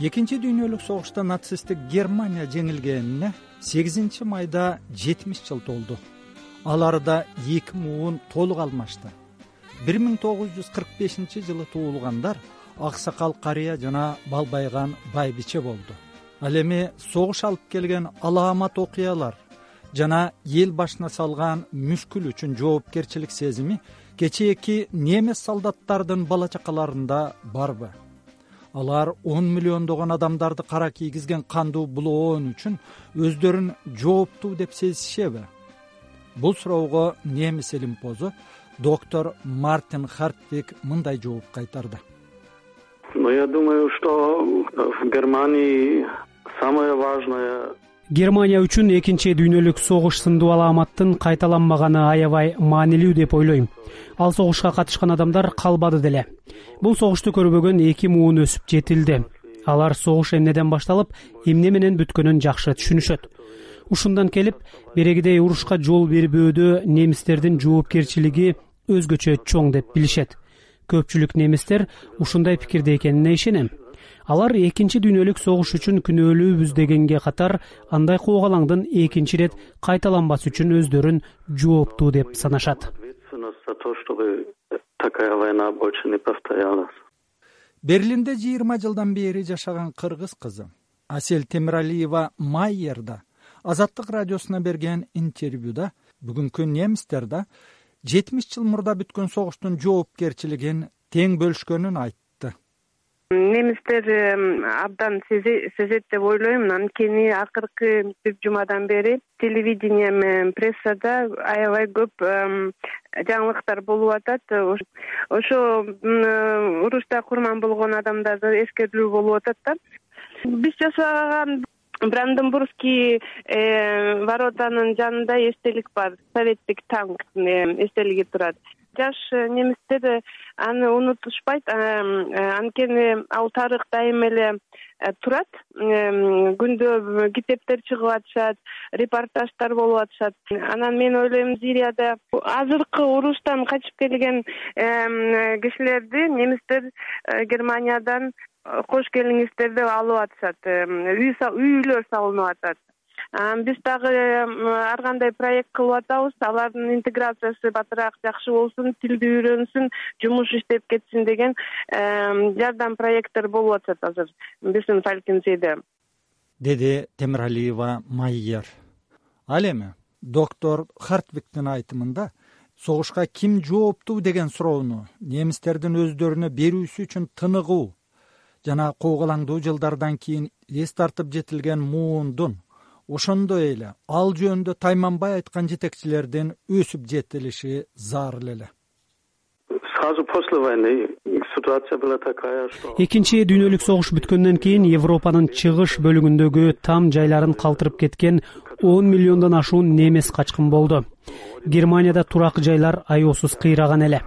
Экинчи дүйнөлүк согушта нацисттик Германия жеңилгенине 8 майда 70 жыл толду. Ал арада 2 муун толук алмашты. 1945 жылы туулгандар аксакал карыя жана балбайган байбиче болду. Ал эми согуш алып келген алаамат окуялар жана эл башына салган мүшкүл үчүн жоопкерчилик сезими кечээки немис солдаттардын бала чакаларында барбы? Алар 10 миллиондогон адамдарды кара кийгизген кандуу булоон үчүн өздөрүн жооптуу деп сезишеби? Бул суроого немис илимпозу доктор Мартин Хартвик мындай жооп кайтарды. Я думаю, что в Германии самое важное Германия үчүн экинчи дүйнөлүк согуш сындуу алааматтын кайталанмаганы аябай маанилүү деп ойлойм. Ал согушка катышкан адамдар калбады деле. Бул согушту көрбөгөн 2 муун өсүп жетилди. Алар согуш эмнеден башталып, эмне менен бүткөнүн жакшы түшүнүшөт. Ушундан келип, берегидей урушка жол бербөөдө немистердин жоопкерчилиги өзгөчө чоң деп билишет. Көпчүлүк немистер ушундай пикирде экенине ишенем. Алар экинчи дүйнөлүк согуш үчүн күнөөлүүбүз дегенге катар андай куугалаңдын экинчи ирет кайталанбас үчүн өздөрүн жооптуу деп санашат. Берлинде 20 жылдан бери жашаган кыргыз кызы Асель Темиралиева Майерда Азаттык радиосуна берген интервьюда бүгүнкү немистер да 70 жыл мурда бүткөн согуштун жоопкерчилигин тең бөлүшкөнүн айтты. Немистер абдан сезет деп ойлойм. Анткени акыркы бир жумадан бери телевидение менен прессада аябай көп жаңылыктар болуп атат. Ошо урушта курман болгон адамдарды эскертүү болуп атат да. Биз жашаган Бранденбургский воротанын жанында эстелик бар. Советтик танк эстелиги турат. Жаш немистер аны унутушпайт, анткени ал тарых дайыма эле турат. Күндө китептер чыгып атышат, репортаждар болуп атышат. Анан мен ойлойм, Сирияда азыркы уруштан качып келген кишилерди немистер Германиядан кош келиңиздер деп алып атышат. Үйлөр салынып атат. Биз дагы ар кандай проект кылып атабыз. Алардын интеграциясы батыраак жакшы болсун, тилди үйрөнсүн, жумуш иштеп кетсин деген жардам проекттер болуп атат азыр биздин Фалькензеде, деди Темиралиева Майер. Ал эми доктор Хартвиктин айтымында согушка ким жооптуу деген суроону немистердин өздөрүнө берүүсү үчүн тыныгуу жана куугалаңдуу жылдардан кийин эс тартып жетилген муундун, ошондой эле ал жөнүндө тайманбай айткан жетекчилердин өсүп жетилиши зарыл эле. Экинчи дүйнөлүк согуш бүткөндөн кийин Европанын чыгыш бөлүгүндөгү там жайларын калтырып кеткен 10 миллиондон ашуун немис качкын болду. Германияда турак жайлар аеосуз кыйраган эле.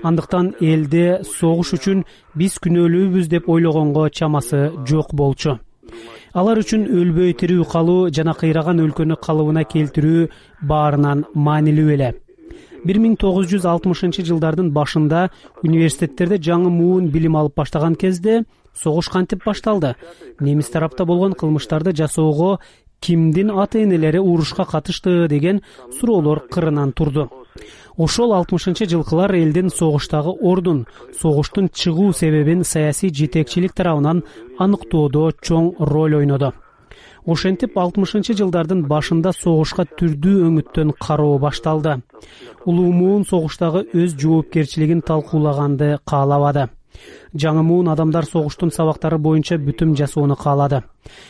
Андыктан элде согуш үчүн биз күнөөлүүбүз деп ойлогонго чамасы жок болчу. Алар үчүн өлбөй тирүү калуу жана кыйраган өлкөнү калыбына келтирүү баарынан маанилүү эле. 1960 жылдардын башында университеттерде жаңы муун билим алып баштаган кезде согуш кантип башталды? Немис тарапта болгон кылмыштарды жасоого кимдин ата-энелери урушка катышты деген суроолор кырынан турду. Ошол 60-жылкылар элдин согуштагы ордун, согуштун чыгуу себебин саясий жетекчилик тарабынан аныктоодо чоң роль ойнодо. Ошентип 60-жылдардын башында согушка түрдүү өңүттөн кароо башталды. Улуу муун согуштагы өз жоопкерчилигин талкуулаганды каалабады. Жаңы муун адамдар согуштун сабактары боюнча бүтүм жасоону каалады.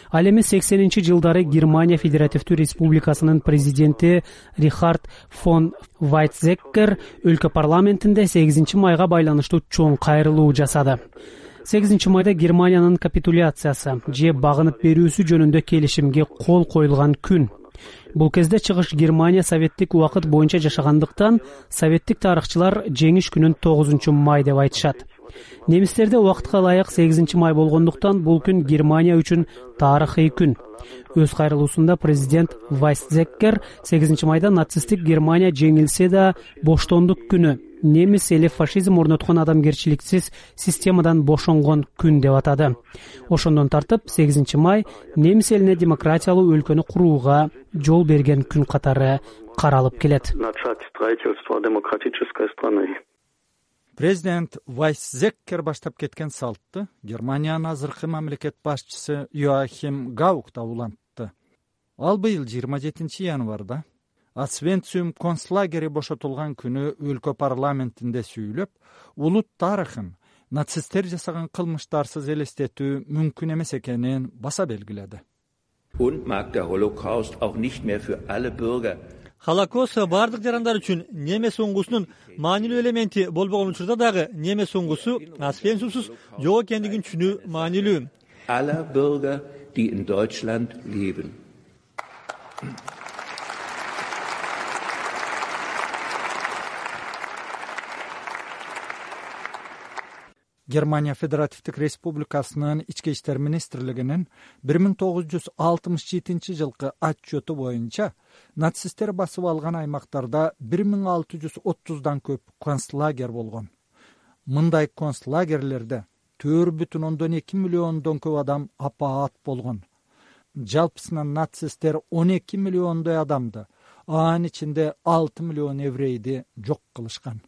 Ал эми 80-жылдары Германия Федеративдүү Республикасынын президенти Рихард фон Вайтзеккер өлкө парламентинде 8 майга байланыштуу чоң кайрылуу жасады. 8 майда Германиянын капитуляциясы же багынып берүүсү жөнүндө келишимге кол коюлган күн. Бул кезде чыгыш Германия советтик убакыт боюнча жашагандыктан советтик тарыхчылар жеңиш күнүн 9 май деп айтышат. Немистерде убакытка ылайык 8 май болгондуктан бул күн Германия үчүн тарыхый күн. Өз кайрылуусунда президент Вайцзеккер 8 майда нацисттик Германия жеңилсе да боштондук күнү, немис эли фашизм орноткон адамгерчиликсиз системадан бошонгон күн деп атады. Ошондон тартып 8 май немис элине демократиялуу өлкөнү курууга жол берген күн катары каралып келет. Президент Вайсзеккер баштап кеткен салтты Германиянын азыркы мамлекет башчысы Йоахим Гаук да улантты. Ал быйыл 27 январда Освенцим концлагери бошотулган күнү өлкө парламентинде сүйлөп, улут тарыхын нацисттер жасаган кылмыштарсыз элестетүү мүмкүн эмес экенин баса белгиледи. Холокост бардык жарандар үчүн немес оңгусунун маанилүү элементи болбогон учурда дагы немес оңгусу Освенцимсиз жок экендигин түшүнүү маанилүү. Aller Bürger, die in Deutschland leben. Германия Федеративдик Республикасынын Ички иштер министрлигинин 1967 жылкы отчету боюнча нацисттер басып алган аймактарда 1630дан көп концлагер болгон. Мындай концлагерлерде 4,2 миллиондон көп адам апаат болгон. Жалпысынан нацисттер 12 миллиондой адамды, анын ичинде 6 миллион еврейди жок кылышкан.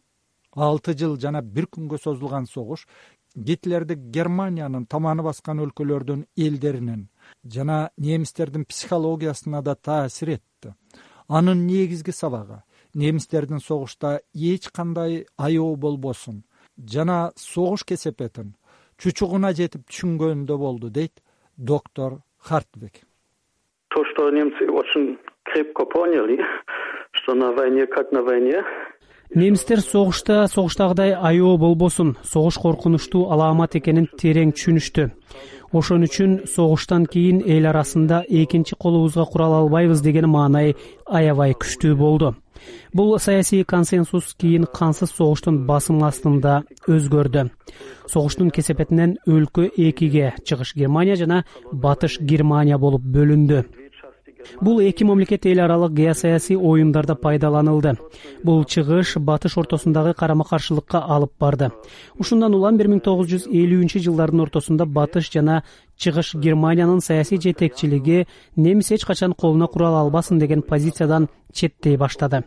6 жыл жана 1 күнгө созулган согуш Гитлерди Германиянын таманы баскан өлкөлөрдүн элдеринин жана немистердин психологиясына да таасир этти. Анын негизги сабагы немистердин согушта эч кандай аябы болбосун жана согуш кесепетин чучугуна жетип түшүнгөндө болду, дейт доктор Хартвик. То, что немцы очень крепко поняли, что на войне как на войне. Немистер согуштагыдай аябы болбосун, согуш коркунучтуу алаамат экенин терең түшүнүштү. Ошон үчүн согуштан кийин эл арасында экинчи колубузга курал албайбыз деген маанай аябай күчтүү болду. Бул саясий консенсус кийин кансыз согуштун басым астында өзгөрдү. Согуштун кесепетинен өлкө экиге, Чыгыш Германия жана Батыш Германия болуп бөлүндү. Бул эки мамлекет эл аралык геосаясий оюндарда пайдаланылды. Бул чыгыш батыш ортосундагы карама-каршылыкка алып барды. Ушундан улам 1950-жылдардын ортосунда батыш жана чыгыш Германиянын саясий жетекчилиги немис эч качан колуна курал албасын деген позициядан четтей баштады.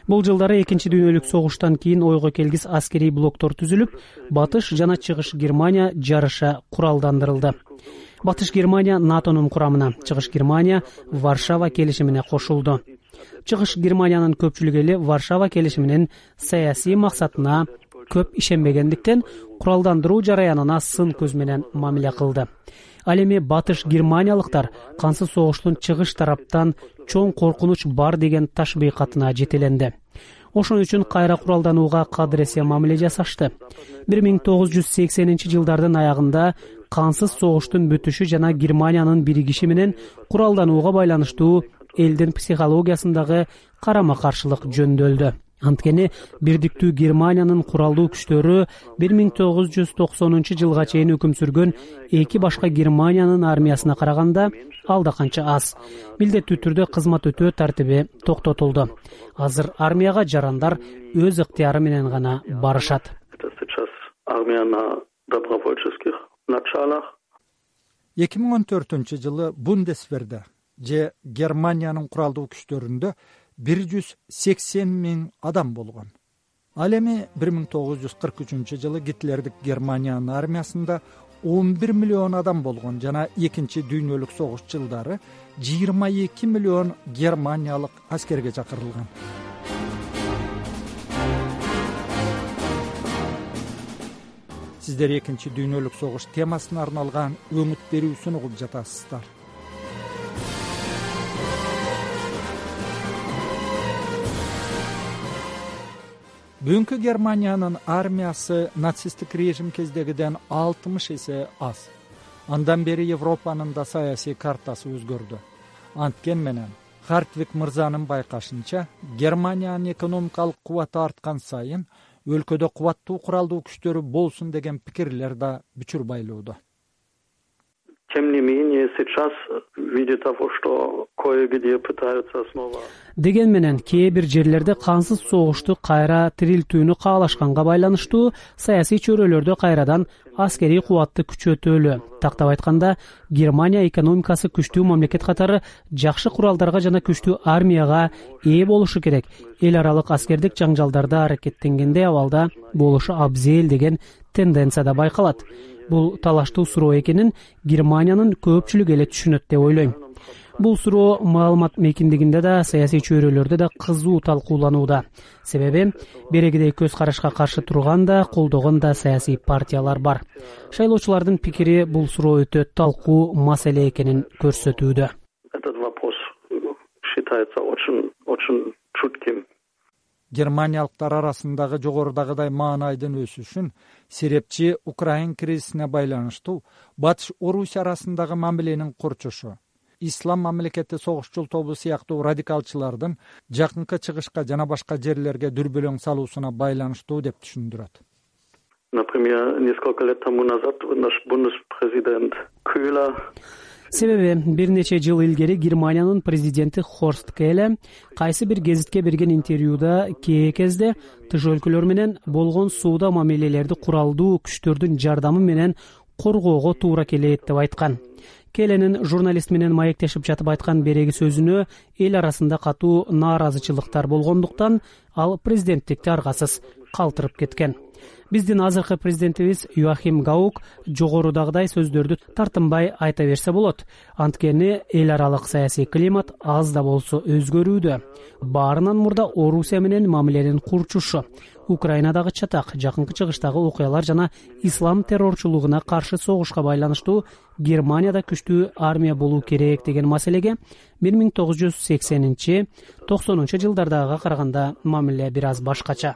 Бул жылдары экинчи дүйнөлүк согуштан кийин ойго келгис аскерий блоктор түзүлүп, батыш жана чыгыш Германия жарыша куралдандырылды. Батыш Германия НАТОнун курамына, Чыгыш Германия Варшава келишимине кошулду. Чыгыш Германиянын көпчүлүк эли Варшава келишиминин саясий максатына көп ишенбегендиктен куралдандыруу жараянына сын көз менен мамиле кылды. Ал эми батыш германиялыктар кансыз согуштун чыгыш тараптан чоң коркунуч бар деген ташбыйкатына жетеленди. Ошон үчүн кайра куралданууга кадыресе мамиле жасашты. 1980-жылдардын аягында кансыз согуштун бүтүшү жана Германиянын биригиши менен куралданууга байланыштуу элдин психологиясындагы карама-каршылык жөндөлдү. Анткени бирдиктүү Германиянын куралдуу күчтөрү 1990-жылга чейин өкүм сүргөн эки башка Германиянын армиясына караганда алда канча аз. Милдеттүү түрдө кызмат өтөө тартиби токтотулду. Азыр армияга жарандар өз ыктыяры менен гана барышат. 2014-жылы Бундесверде же Германиянын куралдуу күчтөрүндө 180.000 адам болгон. Ал эми 1943-жылы Гитлердик Германиянын армиясында 11 миллион адам болгон жана экинчи дүйнөлүк согуш жылдары 22 миллион германиялык аскерге чакырылган. Сиздер экинчи дүйнөлүк согуш темасына арналган өңүт берүүсүн угуп жатасыздар. Бүгүнкү Германиянын армиясы нацисттик режим кездегиден 60 эсе аз. Андан бери Европанын да саясий картасы өзгөрдү. Анткен менен Хартвик мырзанын байкашынча, Германиянын экономикалык кубаты арткан сайын өлкөдө кубаттуу куралдуу күчтөрү болсун деген пикирлер да бүчүр байлоодо. тем не менее, сейчас, видя того, что кое-где пытаются снова... Деген менен кээ бир жерлерде кансыз согушту кайра тирилтүүнү каалашканга байланыштуу саясий чөйрөлөрдө кайрадан аскерий кубатты күчөтөлү. Тактап айтканда, Германия экономикасы күчтүү мамлекет катары жакшы куралдарга жана күчтүү армияга ээ болушу керек. Эл аралык аскердик жаңжалдарда аракеттенгенде абалда болушу абзел деген тенденция да байкалат. Бул талаштуу суроо экенин Германиянын көпчүлүгү эле түшүнөт деп ойлойм. Бул суроо маалымат мейкиндигинде да, саясий чөйрөлөрдө да кызуу талкууланууда. Себеби берегидей көз карашка каршы турган да, колдогон да саясий партиялар бар. Шайлоочулардын пикири бул суроо өтө талкуу маселе экенин көрсөтүүдө. Этот вопрос считается очень чутким. Германиялыктар арасындагы жогорудагыдай маанайдын өсүшүн серепчи Украин кризисине байланыштуу Батыш Орусия арасындагы мамиленин курчушу, ислам мамлекети согушчул тобу сыяктуу радикалчылардын жакынкы чыгышка жана башка жерлерге дүрбөлөң салуусуна байланыштуу деп түшүндүрөт. Например, несколько лет тому назад наш бундеспрезидент Köhler... Себеби бир нече жыл илгери Германиянын президенти Хорст Келе кайсы бир гезитке берген интервьюда кээ кезде тыш өлкөлөр менен болгон сууда мамилелерди куралдуу күчтөрдүн жардамы менен коргоого туура келет деп айткан. Келенин журналист менен маектешип жатып айткан береги сөзүнө эл арасында катуу нааразычылыктар болгондуктан ал президенттикти аргасыз калтырып кеткен. Биздин азыркы президентибиз Йоахим Гаук жогорудагыдай сөздөрдү тартынбай айта берсе болот. Анткени эл аралык саясий климат аз да болсо өзгөрүүдө. Баарынан мурда Орусия менен мамиленин курчушу, Украинадагы чатак, жакынкы чыгыштагы окуялар жана ислам террорчулугуна каршы согушка байланыштуу Германияда күчтүү армия болуу керек деген маселеге 1980-90 жылдардагыга караганда мамиле бир аз башкача.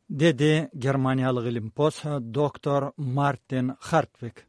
Деди германиялык илимпоз доктор Мартин Хартвик.